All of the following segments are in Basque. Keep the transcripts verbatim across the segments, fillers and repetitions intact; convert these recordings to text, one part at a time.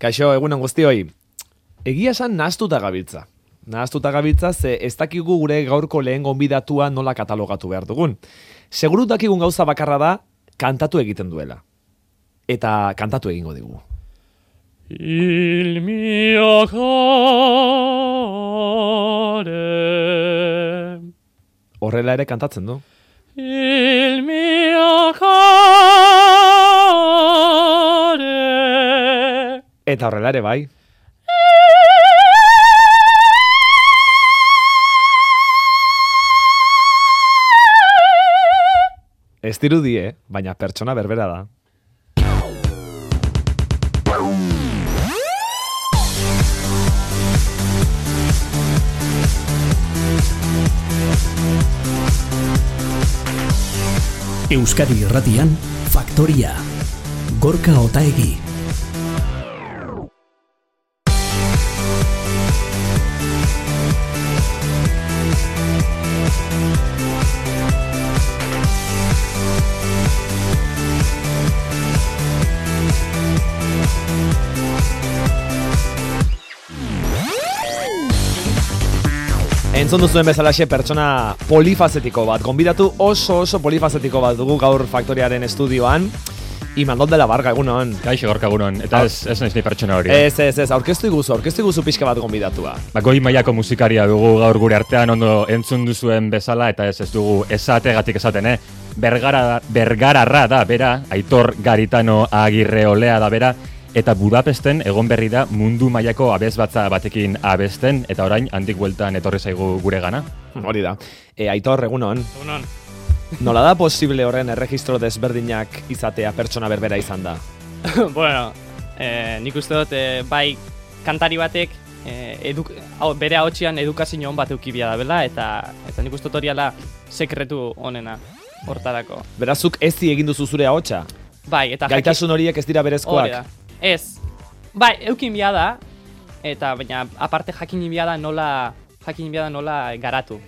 Kaixo, egunon guztioi. Egia esan nahaztuta gabiltza. Nahaztuta gabiltza ze ez dakigu gure gaurko lehen gonbidatua nola katalogatu behar dugun. Seguru dakigun gauza bakarra da, kantatu egiten duela. Eta kantatu egingo digu. Il mio cuore. Horrela ere kantatzen du. Il mio cuore. Eta horrela ere bai. Ez dirudi, eh? Baina pertsona berbera da. Euskadi Irratian, Faktoria. Gorka Otaegi. Entzun duzuen bezalaxe pertsona polifazetiko bat, gonbidatu oso oso polifazetiko bat dugu gaur Faktoriaren estudioan. Imanol de la Varga, egunon. Kaixo, Gorka, egunon. Eta ez, ez naiz ni pertsona hori. Ez, ez, ez, aurkeztu iguzu, aurkeztu iguzu pixka bat gonbidatua. Ba, goi mailako musikaria dugu gaur gure artean ondo entzun duzuen bezala, eta ez ez dugu esategatik esaten, eh? Bergara, bergararra da, bera, Aitor Garitano Agirre Olea da, bera, eta Budapesten egon berri da mundu mailako abesbatza batekin abesten, eta orain handik bueltan etorri zaigu gure gana. Hori da. E, Aitor, egunon. Egunon. Nola da posible horren erregistro desberdinak izatea pertsona berbera izan da? Bueno, eh, nik uste dut, eh, bai, kantari batek eh, eduk, hau, bere ahotsean edukazio on bat eukibia da, bela, eta, eta nik uste dut hori ala sekretu honena hortarako. Berazuk ezi egin duzu zure ahotsa? Bai, eta gaitasun horiek ez dira berezkoak? Hori da. Ez. Bai, eukin bia da, eta baina aparte jakin bia da nola, jakin bia da nola garatu.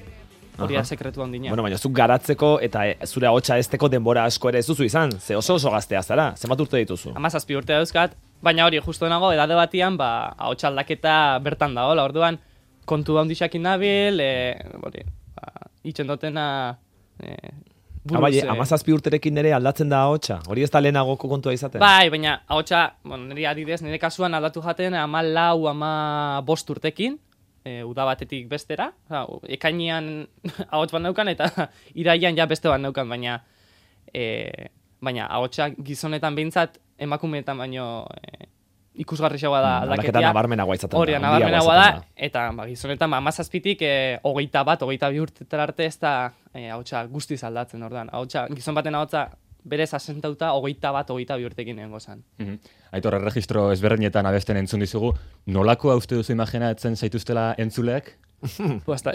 Hori da sekretu handina. Bueno, baina zuk garatzeko eta e, zure ahotsa ezteko denbora asko ere ez duzu izan. Ze oso oso gaztea zara. Zenbat urte dituzu? Hamazazpi urte dauzkat, baina hori justu nago edade batian, ba, ahotsa aldaketa bertan dagoela. Orduan kontu handixakin nabil, eh, hori, ba, itxen dutena eh, buruz. Bai, eh. hamazazpi urterekin ere aldatzen da ahotsa. Hori ez da lehenagoko kontua izaten. Bai, baina ahotsa, bueno, nire adidez, nire kasuan aldatu jaten ama lau, ama bost urtekin. E, uda batetik bestera, ekainean ahots bat neukan eta iraian ja beste bat neukan, baina e, baina ahotsa gizonetan behintzat emakumeetan baino e, ikusgarriagoa da aldaketia. Aldaketa nabarmenagoa izaten da. Hori, nabarmenagoa da, eta ba, gizonetan hamazazpitik e, hogeita bat, hogeita bi urtetara arte ez da e, ahotsa guztiz aldatzen, ordan. Ahotsa, gizon baten ahotsa berez asentauta hogeita bat, hogeita bi urtekin egongo zen. Mm-hmm. Aitor, erregistro ezberdinetan abesten entzun dizugu. Nolakoa uste duzu imaginatzen zaituztela entzuleak? Posta.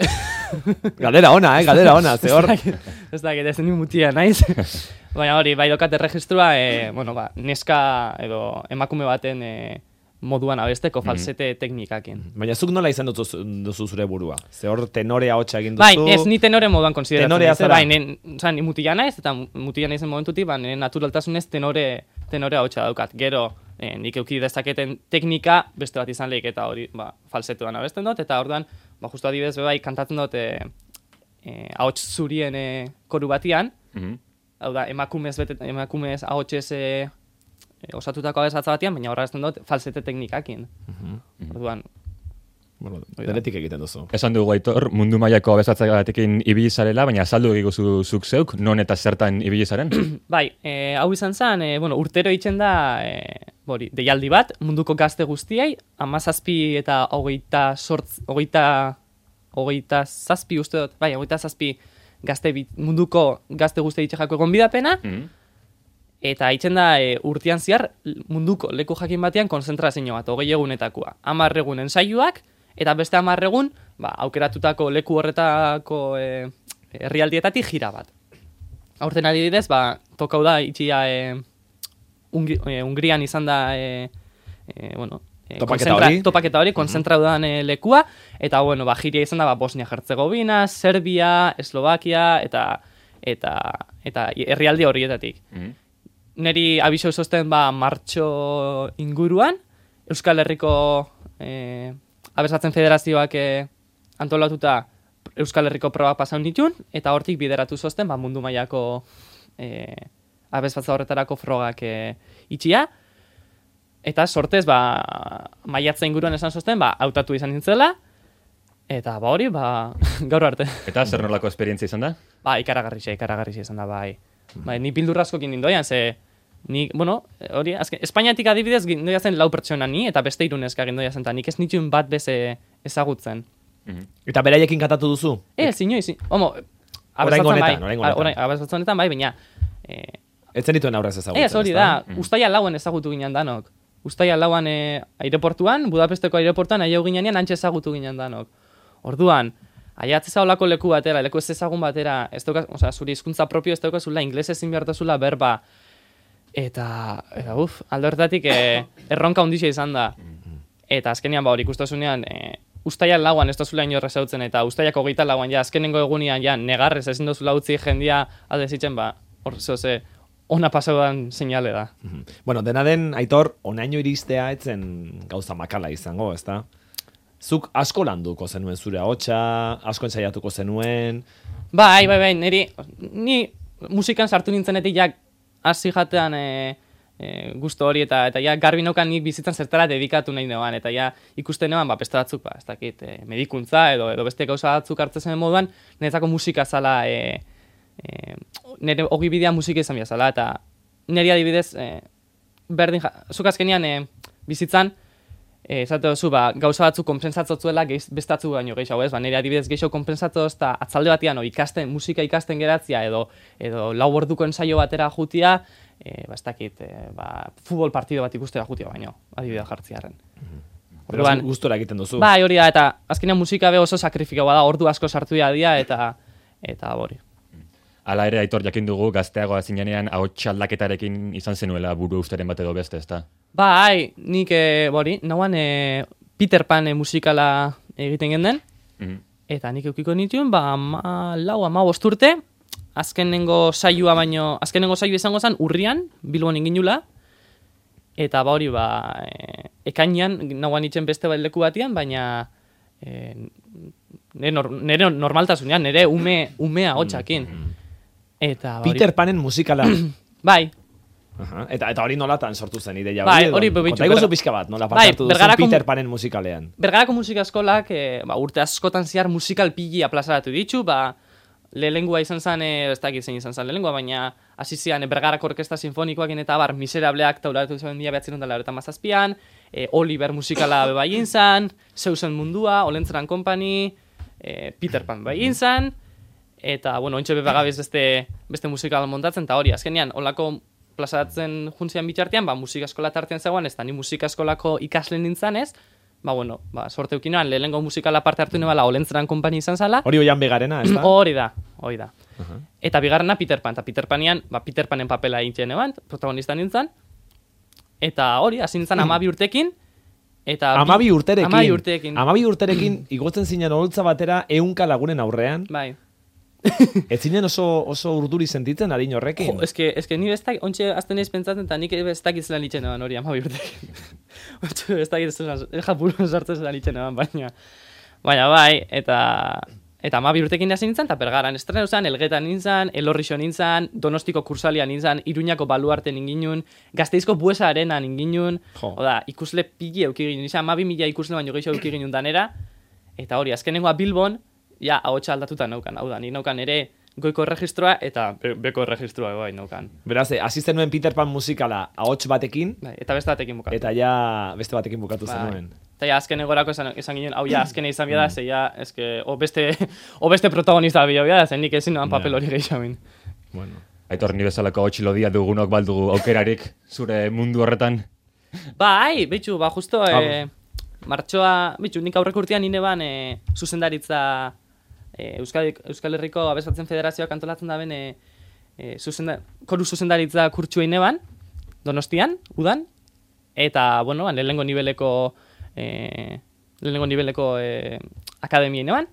Galdera ona, eh? Galdera ona, ze hor. Ez da, ez ni mutia naiz. Baina hori, bai dokat erregistroa, e, bueno, ba, neska edo emakume baten e, moduan abesteko falsete mm-hmm. teknikakin. Baina zuk nola izan duzu, duzu zure burua? Ze hor tenore ahotsa egin duzu? Bai, ez ni tenore moduan konsideratzen. Tenorea zara? Bai, nen, oza, ni mutila naiz, eta mutila naizen momentutik, ba, nire naturaltasunez tenore, tenore ahotsa daukat. Gero, eh, nik euki dezaketen teknika beste bat izan lehik, eta hori, ba, falsetuan abesten dut, eta orduan, ba, justu adibidez, bai, kantatzen dut eh, eh, ahots zurien eh, koru batian, mm-hmm. hau da, emakumez, bete, emakumez ahotsez eh, osatutako abesatza batian, baina horra ezten dut falsete teknikakin. Mm-hmm. Orduan, bueno, denetik egiten duzu. Esan dugu, Aitor, mundu mailako abesatzatik ibili zarela, baina azaldu egiguzu zuk zeuk, non eta zertan ibili zaren? Bai, e, hau izan zen, e, bueno, urtero itzen da, e, bori, deialdi bat, munduko gazte guztiei, hamazazpi eta hogeita sortz, hogeita, hogeita zazpi uste dut, bai, hogeita zazpi gazte bit, munduko gazte guztiei itxejako egon bidapena, mm-hmm. eta itzen da e, urtean zehar munduko leku jakin batean konzentrazio bat, hogei egunetakoa. Hamar egun ensaiuak, eta beste hamar egun, ba, aukeratutako leku horretako e, herrialdietatik jira bat. Aurten adibidez, ba, tokau da itxia e, Ungri, e, Ungrian izan da e, e, bueno, e, topaketa hori, topaketa hori konzentraudan e, lekua, eta bueno, ba, jiria izan da ba, Bosnia-Herzegovina, Serbia, Eslovakia, eta eta eta herrialde horietatik. Mm-hmm. Neri abiso esosten ba martxo inguruan, Euskal Herriko e, abesatzen federazioak e, antolatuta Euskal Herriko proba pasaun ditun, eta hortik bideratu zozten ba, mundu mailako e, abesbatza horretarako frogak e, itxia. Eta sortez, ba, maiatza inguruan esan zozten, ba, hautatu izan nintzela, eta ba hori, ba, gaur arte. Eta zer nolako esperientzia izan da? Ba, ikaragarrixe, ikaragarrixe izan da, bai. Bai, ni bildurrazkokin nindoian, ze, ni, bueno, hori, azken, Espainiatik adibidez gindoia zen lau pertsona ni, eta beste irunezka gindoia zen, eta nik ez nituen bat beze ezagutzen. Eta beraiekin kantatu duzu? Ez, zinoi, zin, homo, Oraingo abesatzen bai, honetan, oraingo honetan. orain- abesatzen honetan bai, baina, eh, Ez zenituen aurrez ezagutzen, ez hori da, ustaia lauan ezagutu ginen danok. Ustaia lauan e, aireportuan, Budapesteko aireportuan, aia ginean antxe ezagutu ginen danok. Orduan, aiatzeza olako leku batera, leku ez ezagun batera, ez daukaz, osea, zuri hizkuntza propio ez daukazula, inglesez ezin behartazula berba, eta, eta uf, alde horretatik e, erronka hundixa izan da. Eta azkenean, ba hori ikustazunean, e, ustaia lauan ez dozula inorrez hautzen, eta ustaiak hogeita lauan, ja, azkenengo egunean, ja, negarrez ezin dozula utzi jendia alde zitzen, ba, hor, zoze, ona pasaudan seinale da. Bueno, dena den, Aitor, onaino iristea etzen gauza makala izango, ezta? Zuk asko landuko zenuen zure ahotsa, asko ensaiatuko zenuen. Bai, bai, bai, niri, ni musikan sartu nintzenetik ja hasi jatean e, e, gusto hori, eta eta ja garbi naukan nik bizitzan zertara dedikatu nahi neban, eta ja ikusten neban, ba, beste batzuk, ba, ez dakit, e, medikuntza edo edo beste gauza batzuk hartzen zen moduan, niretzako musika zala, e, e, nire ogi bidea musika izan zala, eta niri adibidez, e, berdin, ja, zuk azkenian e, bizitzan, Eh, esate duzu, ba, gauza batzuk konpensatzotzuela bestatzu baino gehiago, ez? Ba, nire adibidez gehiago konpensatzotz eta atzalde batean o, ikasten, musika ikasten geratzia edo edo lau orduko ensaio batera jutia, eh, ba, ez dakit, eh, ba, futbol partido bat ikustera jutia baino, adibidea jartziarren. Beraz, gustora egiten duzu. Bai, hori da, eta azkenean musika be oso sakrifikaua da, ordu asko sartu dia eta eta hori. Hala ere, Aitor, jakin dugu, gazteagoa zinenean ahots aldaketarekin izan zenuela buru usteren bat edo beste, ezta? Bai, nik, e, bori, nauan e, Peter Pan e, musikala egiten genden, Mhm. eta nik eukiko nituen, ba, ama lau, ama bosturte, azkenengo saioa baino, azkenengo saioa izango zen urrian, Bilbon inginula, eta ba hori, ba, e, ekainean, nauan itzen beste bat leku batian, baina e, nire, nor, nire normaltasunean, nire ume, umea hotxakin. Eta, ba, hori- Peter Panen musikala. Bai, Aha, eta eta hori nolatan sortu zen ideia Bai, edo? hori, bebitxu, Konta iguzu berga- pixka bat, nola Bai, parte hartu duzu Bergarako- Peter Panen musikalean. Bergarako musika eskolak, e, ba, urte askotan zehar musikal pili aplazaratu ditu, ba, lehengoa izan zen, e, ez dakit zein izan zen lehengoa, baina hasi zian e, Bergarako Orkesta Sinfonikoakin eta bar, Miserableak taularatu zen dia behatzen dela eta mazazpian, e, Oliver musikala bebaien zan, Zeusen mundua, Olentzeran Company, e, Peter Pan bebaien zan, eta, bueno, ontxe bebagabiz beste, beste musikal montatzen, eta hori, azkenean, olako plazaratzen juntzian bitxartean, ba, musika eskola tartean zegoen, ez da ni musika eskolako ikasle nintzen ez, ba, bueno, ba, sorte eukinoan, lehenengo musikala parte hartu nebala Olentzeran Company izan zala, Hori oian begarena, ez da? hori da, hori da. Eta bigarrena Peter Pan, eta Peter Panean, ba, Peter Panen papela egiten eban, protagonista nintzen, eta hori, hasi nintzen amabi urtekin, eta... bi- Amabi urterekin. Amabi urterekin, Amabi urterekin igotzen zinen oholtza batera ehunka lagunen aurrean. bai. Ez zinen oso, oso urduri sentitzen adin horrekin. Jo, eske, eske ni bestak, ontxe azten naiz pentsatzen, eta nik ez dakit zelan itxen eban hori, amabi urtekin. Ontxe ez dakit zelan, japuru sartzen zelan itxen eban, baina... Baina bai, eta... Eta amabi urtekin hasi nintzen, eta Bergaran estrena zen, Elgetan nintzen, Elorrixo nintzen, Donostiko Kursalia nintzen, Iruñako Baluarte ninginun, Gazteizko Buesa Arena ninginun, Jo. oda, ikusle pigi eukigin, izan amabi mila ikusle baino gehiago eukigin danera, eta hori, azkenengoa Bilbon, ja, ahotsa aldatuta naukan, hau da, ni naukan ere goiko erregistroa eta be beko erregistroa bai naukan. Beraz, eh, hasi zenuen Peter Pan musikala ahots batekin, Bai, eta beste batekin bukatu. eta ja beste batekin bukatu Bai. zenuen. Eta ja, azken egorako esan, esan ginen, hau ja, azkene izan bida, ze ja, eske, o beste, o beste protagonista bila bida, zen nik ezin noan papel hori gehiagoin. Bueno. Aitor, ni bezalako ahots lodia dugunok baldugu aukerarik zure mundu horretan. Bai, bitxu, ba, justo, e, martxoa, bitxu, nik aurreko urtean nire ban, e, zuzendaritza, e, Euskal, Euskal Herriko Abesatzen Federazioak antolatzen da ben, e, e, zuzenda, koru zuzendaritza kurtsua ineban, Donostian, udan, eta, bueno, ban, lehenengo niveleko, e, lehenengo niveleko e, akademia ineban,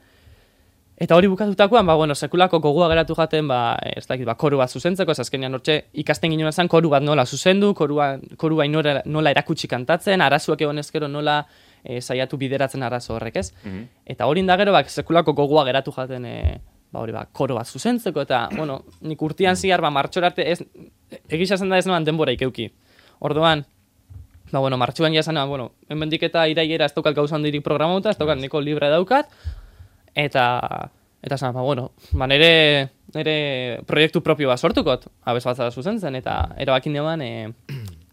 Eta hori bukatutakoan, ba, bueno, sekulako gogoa geratu jaten, ba, ez dakit, ba, koru bat zuzentzeko, ez azkenean hortxe ikasten ginen zen koru bat nola zuzendu, korua, korua nola, nola erakutsi kantatzen, arazuak egon ezkero nola e, saiatu bideratzen arazo horrek, ez? Mhm. Eta hori indagero, ba, sekulako gogoa geratu jaten, e, ba, hori, ba, koru bat zuzentzeko, eta, bueno, nik urtean zihar, ba, martxora arte, ez, egisa zen da ez noan denbora ikeuki. Orduan, ba, bueno, martxuan jasana, bueno, hemendik eta iraiera ez daukat gauza handirik programauta, ez daukat niko libre daukat, eta, eta zan, ba, bueno, ba, nire, nire proiektu propio bat sortukot, abesbatza zuzentzen, eta erabakin neban, e,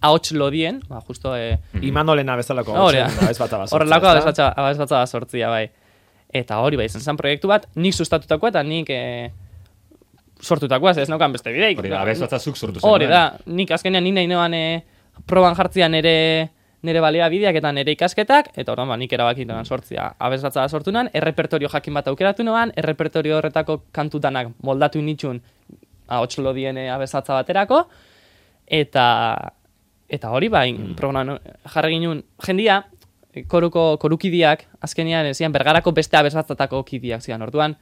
ahots lodien, ba, justo, e, Imanolena bezalako Horrela. abesbatza bat sortzea, horrelako ezta? abesbatza bat sortzia, bai. Eta hori, bai, izan zen proiektu bat, nik sustatutakoa eta nik e, sortutakoa, ez naukan beste bideik. Hori da, abesbatza zuk sortu zen. Hori da, nik azkenean nina inoan e, proban jartzia nire, nire balea bideak eta nire ikasketak, eta orduan ba, nik erabakitan sortzia abesbatza sortu nan, errepertorio jakin bat aukeratu noan, errepertorio horretako kantutanak moldatu nitxun ahots lodien abesbatza baterako, eta eta hori ba, mm. programan jarri ginen jendia, koruko korukidiak, azkenean zian bergarako beste abesbatzatako kidiak zian, orduan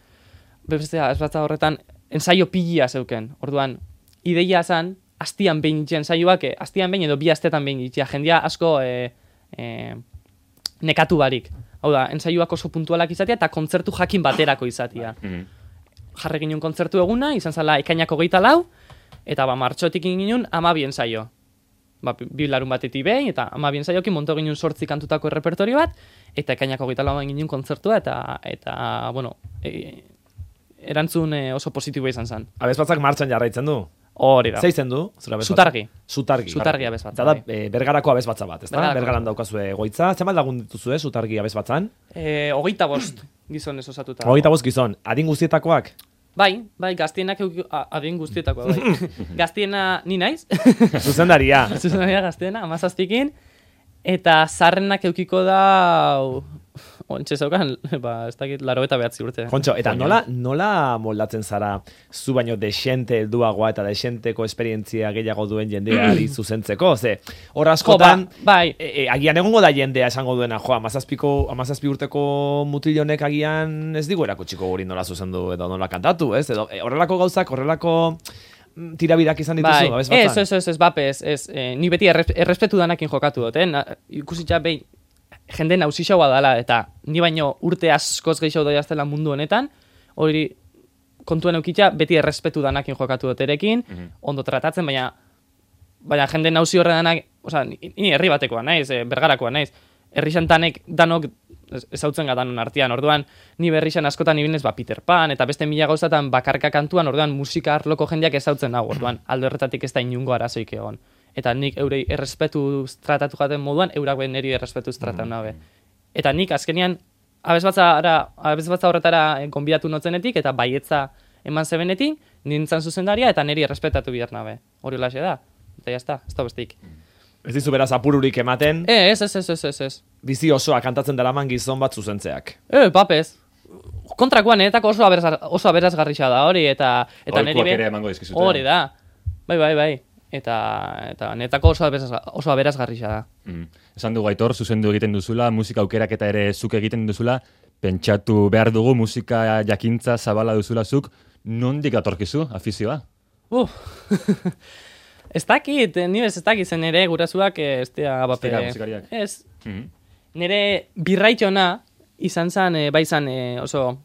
beste abesbatza horretan ensaio pilia zeuken, orduan ideia zan, astian behin itxen saioak, astian behin edo bi astetan behin itxea, jendia asko e, e, nekatu barik. Hau da, ensaioak oso puntualak izatea eta kontzertu jakin baterako izatea. Mhm. Jarri ginen kontzertu eguna, izan zala ekainako geita lau, eta ba, martxotik ginen amabi ensaio. Ba, bi larun batetik behin, eta amabi ensaiokin monto ginen sortzi kantutako errepertorio bat, eta ekainako geita lauan ginen kontzertua, eta, eta bueno, e, erantzun e, oso positiboa izan zen. Abesbatzak martxan jarraitzen du. Hori da. Zeitzen du? Zure abesbatza? Zutargi. Zutargi. Zutargi abesbatza, Eta da, bai. e, bergarako abesbatza bat, ezta? Bergarako. Bergaran daukazue goitza. Zenbat lagun dituzue Zutargi abesbatzan? E, hogeita bost gizonez osatuta. Hogeita bost gizon. Adin guztietakoak? Bai, bai, gaztienak euki- a- adin guztietakoa, bai. Gaztiena ni naiz, Zuzendaria. zuzenaria gaztiena, amazazpikin, eta zarrenak eukiko da, ontsa zeukan, ba, ez dakit, laro eta behatzi urte. Kontxo, eta nola, nola moldatzen zara zu baino desente helduagoa eta desenteko esperientzia gehiago duen jendeari zuzentzeko? Ze, hor askotan, Jo, ba, bai. e, e, agian egongo da jendea esango duena, jo, amazazpiko, amazazpi urteko mutilonek agian ez digu erakutsiko guri nola zuzendu edo nola kantatu, ez? Edo, e, horrelako gauzak, horrelako mm, tirabirak izan dituzu, Bai, abesbatzan? ez, ez, ez, ez, bape, ez, ez, eh, ni beti erres, errespetu danakin jokatu dut, eh? Na, ikusitza behin, jende nausixaua dela, eta ni baino urte askoz gehiago doia aztela mundu honetan, hori kontuen eukitza beti errespetu danakin jokatu dut erekin, ondo tratatzen, baina baina jende nausi horre danak, osea, ni, ni herri batekoa naiz, eh, bergarakoa naiz, herri xantanek danok ez- ezautzen gatanon artean, orduan ni berrixan askotan ibilnez ba Peter Pan eta beste mila gauzatan bakarka kantuan, orduan musika arloko jendeak ezautzen hau, orduan alde horretatik ez da inungo arazoik egon. Eta nik eurei errespetu tratatu jaten moduan, eurak behin niri errespetu tratatu nabe. Eta nik azkenean abesbatzara, abesbatza horretara eh, gonbidatu notzenetik eta baietza eman zebenetik, nintzen zuzendaria eta niri errespetatu bihar nabe. Hori holaxe da. Eta jazta, ez da bestik. Ez dizu beraz apururik ematen, E, ez, ez, ez, ez, ez, ez. bizi osoa kantatzen daraman gizon bat zuzentzeak. E, papez. Kontrakoan, niretako oso, aberaz, oso aberazgarrixa da hori, eta, eta niri Aholkuak be- ere emango dizkizute. Hori da. Bai, bai, bai. Eta, eta niretako oso, aberaz, oso aberazgarrixa da. Mm. Esan dugu Aitor, zuzendu egiten duzula, musika aukerak eta ere zuk egiten duzula, pentsatu behar dugu musika jakintza zabala duzula zuk, nondik atorkizu afizioa? Uf. Ez dakit, ni bez ez dakit zen ere gurasoak ez dira bape. dira musikariak. Ez. Mhm. Nire birraitxona izan zen, e, bai zan e, oso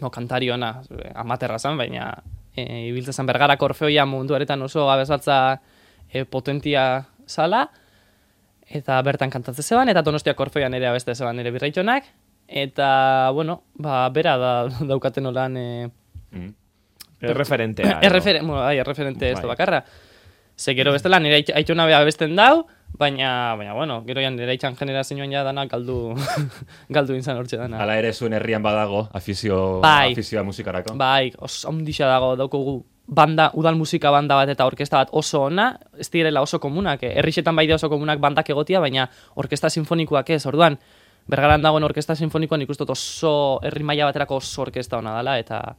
no, kantari ona, e, amaterra zen, baina e, ibiltzen zen bergarako orfeoia munduaretan oso abesbatza e, potentia zala, eta bertan kantatzen zeban, eta Donostiako orfeoian ere abeste zeban nire birraitxonak, eta, bueno, ba, bera da, daukaten olan... E, Mhm. Erreferentea. edo. Erreferen, bueno, bai, erreferente ez da Bai. bakarra. Ze gero bestela nire ait- aitona bea abesten dau, baina, baina bueno, gero ja nire aitzan generazioan ja dana galdu, galdu inzan hortxe dana. Hala ere zuen herrian badago afizio, Bai. afizioa musikarako. Bai, oso ondixa dago daukogu banda, udal musika banda bat eta orkesta bat oso ona, ez direla oso komunak, eh? Herrixetan bai oso komunak bandak egotia, baina orkesta sinfonikoak ez, orduan, Bergaran dagoen orkesta sinfonikoan ikustot oso herri maila baterako oso orkesta ona dela, eta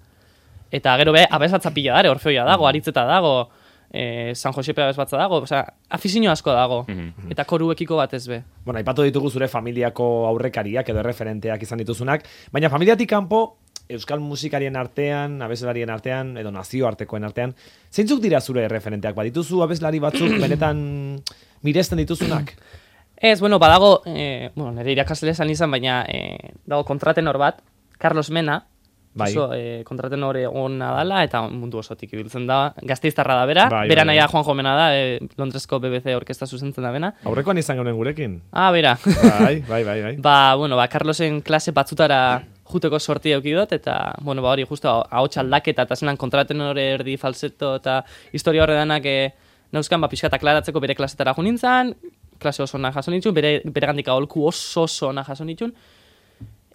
eta gero be, abesbatza pila dare, orfeoia dago, aritzeta dago, eh, San Josepe abesbatza dago, osea, afizio asko dago, Mhm. eta koruekiko bat ez be. Bueno, aipatu ditugu zure familiako aurrekariak edo erreferenteak izan dituzunak, baina familiatik kanpo euskal musikarien artean, abeslalarien artean, edo nazioartekoen artean, zeintzuk dira zure referenteak? Badituzu abeslari batzuk benetan miresten dituzunak? Ez, bueno, badago, eh, bueno, nire irakasle esan izan, baina eh, dago kontratenor bat, Carlos Mena, Bai. oso eh, kontratenore ona dala, eta mundu osotik ibiltzen da, gazteiztarra da bera, Bai, bera bai, naia bai. Juanjo Mena da, eh, Londresko B B C orkesta zuzentzen da bena. Aurrekoan izan geunen gurekin. Ah, bera. Bai, bai, bai, bai. Ba, bueno, ba, Carlosen klase batzutara juteko sorti eukidot, eta, bueno, ba, hori justo ahots aldaketa, eta zelan kontratenore erdi falseto, eta historia horre danak e, nauzkan, ba, pixka aklaratzeko bere klasetara jo nintzen, klase oso ona jaso nintzun, bere, bere gandik aholku oso oso ona jaso nintzun,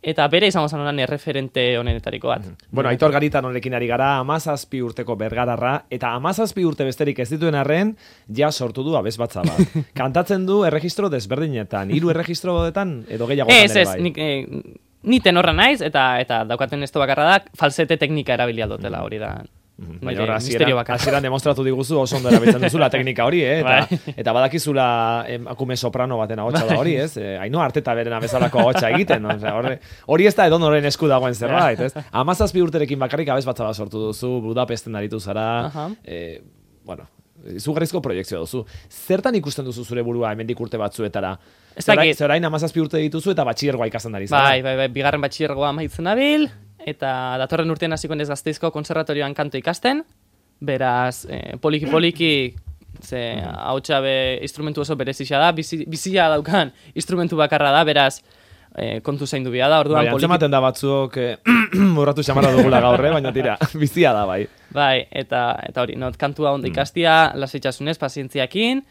eta bere izango zen honan erreferente honenetariko bat. Bueno, Aitor Garitan honekin ari gara, amazazpi urteko bergararra, eta amazazpi urte besterik ez dituen arren, ja sortu du abesbatza bat. Kantatzen du erregistro desberdinetan, hiru erregistroetan edo gehiago Ez, ere ez, bai. nik, eh, ni tenorra naiz, eta eta daukaten esto bakarra da, falsete teknika erabilia dutela, hori da. Baina nire horra, misterio hasieran bakarra. hasieran demostratu diguzu oso ondo erabiltzen duzula teknika hori, eh? Eta, Bai. eta badakizula emakume soprano baten ahotsa da hori, ez? Eh, Ainhoa Arteta berena bezalako ahotsa egiten, no? Osea, horre, hori ez da edonoren esku dagoen zerbait, ez? Hamazazpi urterekin bakarrik abesbatza bat sortu duzu, Budapesten aritu zara, Aha. eh, bueno, izugarrizko proiektzioa duzu. Zertan ikusten duzu zure burua hemendik urte batzuetara? Ez Zerain, dakit. zerain hamazazpi urte dituzu eta batxillergoa ikasten ari zara. Bai, bai, bai, bigarren batxillergoa amaitzen nabil, eta datorren urtean hasiko naiz Gasteizko konservatorioan kanto ikasten, beraz, eh, poliki poliki, ze hautsa be instrumentu oso berezia da, bizi, bizia daukan instrumentu bakarra da, beraz, eh, kontu zaindu bia da, orduan Bai, poliki... antzematen da batzuok eh, urratu xamarra dugula gaur, eh? Baina tira, bizia da, bai. Bai, eta, eta hori, not kantua ondo ikastia, lasaitasunez, pazientziakin,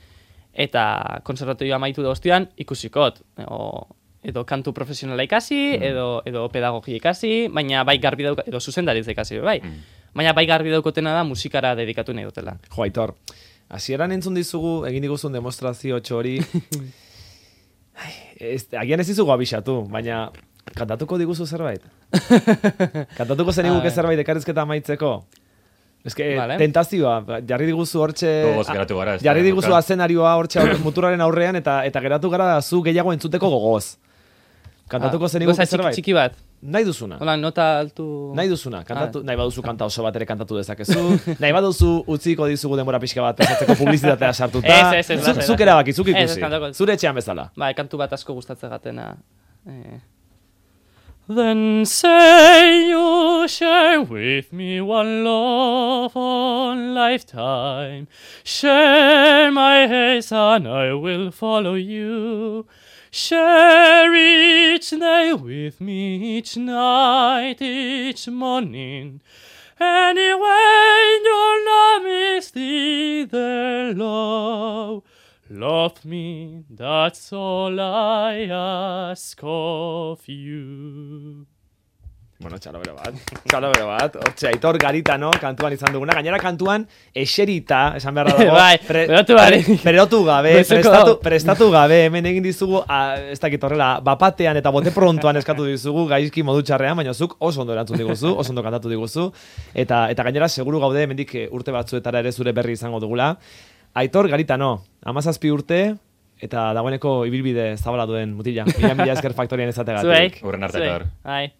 eta konservatorioa amaitu da ostian ikusikot, o, edo kantu profesionala ikasi, edo, edo pedagogia ikasi, baina bai garbi dauka, edo zuzendaritza ikasi, bai. Baina bai garbi daukotena da musikara dedikatu nahi dutela. Jo, Aitor, hasieran entzun dizugu, egin diguzun demostrazio txori, Ai, ez, agian ez dizugu abixatu, baina kantatuko diguzu zerbait? Kantatuko zeniguke A zerbait ekarrizketa amaitzeko? Ez que, Vale. tentazioa, jarri diguzu hortxe... Gogoz geratu gara, ez da, Jarri diguzu Luka. azenarioa hortxe aurre- muturraren aurrean, eta eta geratu gara zu gehiago entzuteko gogoz. Kantatuko zeniguke Goza txiki, zerbait? txiki bat. Nahi duzuna. Hola, nota altu... Nahi duzuna, kantatu, nahi baduzu kanta oso bat ere kantatu dezakezu, nahi baduzu utziko dizugu denbora pixka bat pasatzeko publizitatea sartuta. Ez, ez, ez, Zu- lasai, Zuk lasai. erabaki, zuk Ez, ez, ikusi. kantako ez. Zure etxean bezala. Bai, kantu bat asko gustatzen gatena. Eh. Then say you share with me one love on lifetime. Share my haze and I will follow you. Share each day with me, each night, each morning. Anyway, you're not misty there, love. Love me, that's all I ask of you. Bueno, txalobero bat, txalobero bat. Hortxe, Aitor Garitano kantuan izan duguna. Gainera kantuan eserita, esan beharra dago. Bai, berotu gabe. Berotu gabe, Goizeko prestatu, dago. prestatu gabe. Hemen egin dizugu, a, ez dakit horrela, bapatean eta bote prontoan eskatu dizugu, gaizki modu txarrean, baina zuk oso ondo erantzun diguzu, oso ondo kantatu diguzu. Eta, eta gainera, seguru gaude, hemendik eh, urte batzuetara ere zure berri izango dugula. Aitor Garitano, hamazazpi urte, eta dagoeneko ibilbide zabala duen mutila. Mila mila esker faktorian Zuei. ezategatik. Hurren arte, Zuei. Aitor. Bai.